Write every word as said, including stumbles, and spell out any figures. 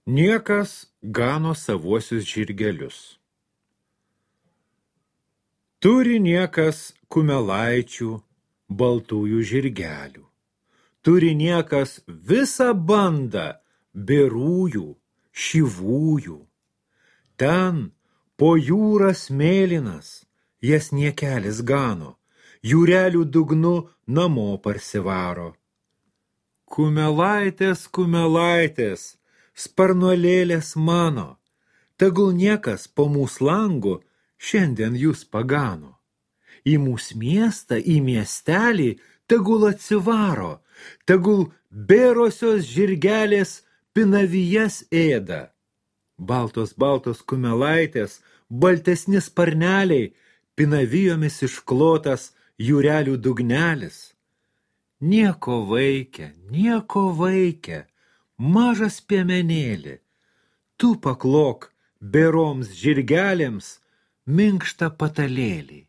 Niekas gano savuosius žirgelius. Turi niekas kumelaičių, baltųjų žirgelių. Turi niekas visą bandą berųjų, šyvųjų. Ten po jūras mėlynas jas niekelis gano, jūrelių dugnu namo parsivaro. Kumelaitės, kumelaitės, sparnuolėlės mano, tegul niekas po mūsų langu šiandien jūs pagano. Į mūsų miestą, į miestelį tegul atsivaro, tegul bėrosios žirgelės pinavijas ėda. Baltos, baltos kumelaitės, baltesni sparneliai, pinavijomis išklotas jūrelių dugnelis. Nieko vaikia, nieko vaikia, mažas piemenėlį, tu paklok beroms žirgelėms minkštą patalėlį.